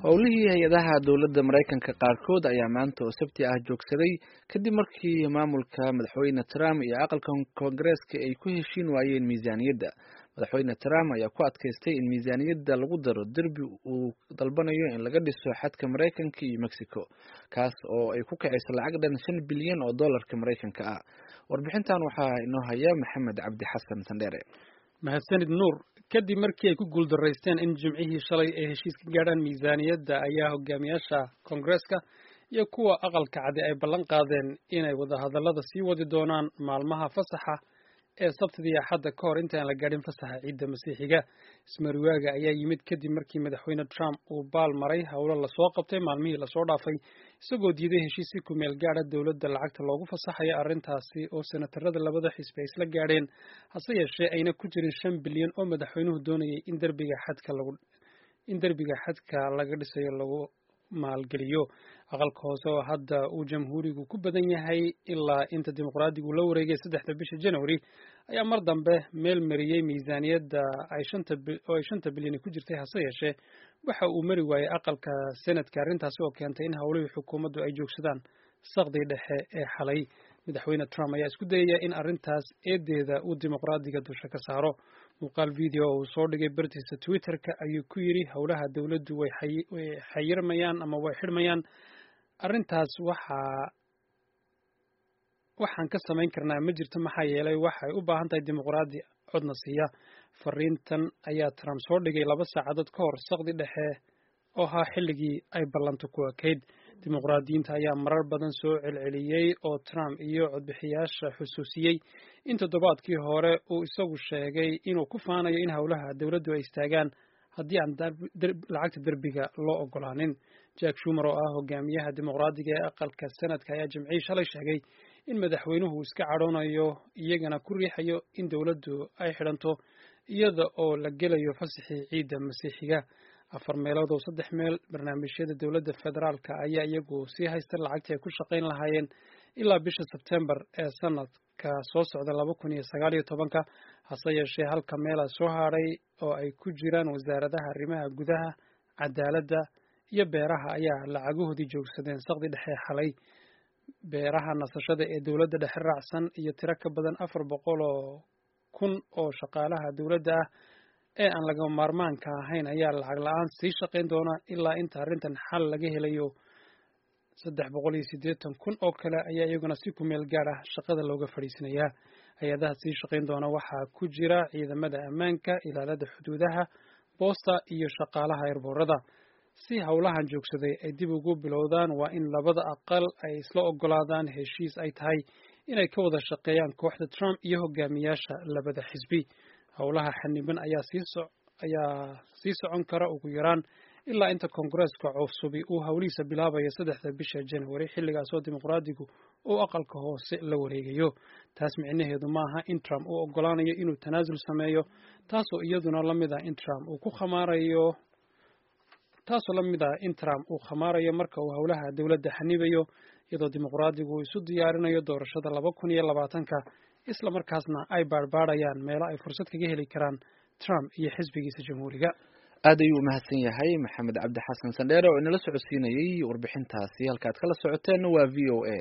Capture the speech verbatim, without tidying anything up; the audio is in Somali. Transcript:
Howlihii hay-adaha dowladda Maraykanka qaarkood ayaa maanta oo Sabti ah joogsaday kadib markii maamulka Madaxweyne Trump iyo aqalka Koongareeska ay ku heshiin waayeen miisaaniyadda. Madaxweyne Trump ayaa ku adkaystay in miisaaniyadda lagu daro derbi uu dalbanayo in laga dhiso xadka Maraykanka iyo Mexico, kaas oo ay ku kacayso lacag dhan shan bilyan oo dollarka Maraykanka ah. Warbixintan waxaa inoo haya Maxamed Cabdi Xasan Sandheere. Mahadsanid, Nuur. Kadib markii ay ku guuldaraysteen in Jimcihii shalay ay heshiis ka gaadhaan miisaaniyadda, ayaa hogaamiyaasha Koongareeska iyo kuwa Aqalka Cadi ay ballan qaadeen inay wadahadallada sii wadi doonaan maalmaha fasaxa ee Sabtida iyo Axadda, ka hor intaan la gaadhin fasaxa Ciidda Masiixiga. Ismariwaaga ayaa yimid kadib markii Madaxweyne Trump uu baal maray howlo lasoo qabtay maalmihii lasoo dhaafay, isagoo diiday heshiis si ku meel gaadha dowladda lacagta loogu fasaxayo, arrintaasi oo senatarada labada xisbi ay isla gaadheen, hase yeeshee ayna ku jirin shan bilyan oo madaxweynuhu doonayay in derbiga xadka lagu in derbiga xadka laga dhisayo lagu maalgeliyo. Aqalka Hoose, oo hadda uu Jamhuurigu ku badan yahay ilaa inta Dimuqraadigu la wareegay saddexda bisha January, ayaa mar dambe meel mariyey miisaaniyadda ay shanta oo ay shanta bilyan ku jirtay. Hase yeeshee waxa uu mari waayey aqalka Senadka, arrintaasi oo keentay in howlihii xukuumaddu ay joogsadaan saqdii dhexe ee xalay. Madaxweyne Trump ayaa isku dayaya in arrintaas eedeeda uu Dimuqraadiga dusha ka saaro. Muuqaal video oo uu soo dhigay bartiisa Twitterka ayuu ku yidhi: "Howlaha dowladdu way xayirmayaan ama way xidhmayaan. Arrintaas waxaa waxaan ka samayn karnaa ma jirto, maxaa yeelay waxay u baahan tahay Dimuqraadi codna siiya." Fariintan ayaa Trump soo dhigay laba saacadood ka hor saqdi dhexe oo ahaa xilligii ay ballantu ku ekayd. Dimuqraadiyiinta ayaa marar badan soo celceliyey oo Trump iyo codbixiyaasha xusuusiyey in toddobaadkii hore uu isagu sheegay inuu ku faanayo in howlaha dowladdu ay istaagaan haddii aan lacagta derbiga loo ogolaanin. Chuck Schumer, oo ah hogaamiyaha Dimuqraadiga ee aqalka Senadka, ayaa Jimcihii shalay sheegay in madaxweynuhu iska cadhoonayo, iyagana ku riixayo in dowladdu ay xidhanto iyada oo la gelayo fasaxii Ciidda Masiixiga. Afar meelood oo saddex meel barnaamijyada dowladda federaalka ayaa iyagu sii haysta lacagtii ay ku shaqayn lahaayeen ilaa bisha Sebtembar ee sanadka soo socda laba kun iyo sagaal iyo tobanka. Hase yeeshee halka meela soo hadhay, oo ay ku jiraan wasaaradaha arrimaha gudaha, cadaaladda iyo beeraha, ayaa lacagahoodii joogsadeen saqdi dhexe xalay. Beeraha nasashada ee dowladda dhexe raacsan iyo tiro ka badan afar boqol oo kun oo shaqaalaha dowladda ah ee aan lagama maarmaanka ahayn ayaa lacag la-aan sii shaqayn doona ilaa inta arrintan xal laga helayo. Saddex boqol iyo siddeetan kun oo kale ayaa iyaguna si ku meel gaar ah shaqada looga fadhiisanayaa. Hay-adaha sii shaqayn doona waxaa ku jira ciidamada ammaanka, ilaalada xuduudaha, boosta iyo shaqaalaha airboorada. Si howlahan joogsaday ay dib ugu bilowdaan, waa in labada aqal ay isla ogolaadaan heshiis ay tahay inay ka wada shaqeeyaan kooxda Trump iyo hogaamiyaasha labada xisbi. Howlaha xaniban ayaa sii ayaa sii socon kara ugu yaraan ilaa inta Koongareeska cusubi uu howlihiisa bilaabayo saddexda bisha January, xilligaasoo Dimuqraadigu uu Aqalka Hoose la wareegayo. Taas micnaheedu maaha in Trump uu ogolaanayo inuu tanaasul sameeyo, taasoo iyaduna la mid ah in Trump uu ku khamaarayo taasoo la mid ah in Trump uu khamaarayo marka uu howlaha dowladda xanibayo, iyadoo Dimuqraadigu uu isu diyaarinayo doorashada laba kun iyo labaatanka, isla markaasna ay baadhbaadhayaan meelo ay fursad kaga heli karaan Trump iyo xisbigiisa Jamhuuriga. Aad ayuu umahadsan yahay Maxamed Cabdi Xasan Sandheere oo inala socodsiinayey warbixintaasi. Halka aad kala socoteen waa V O A.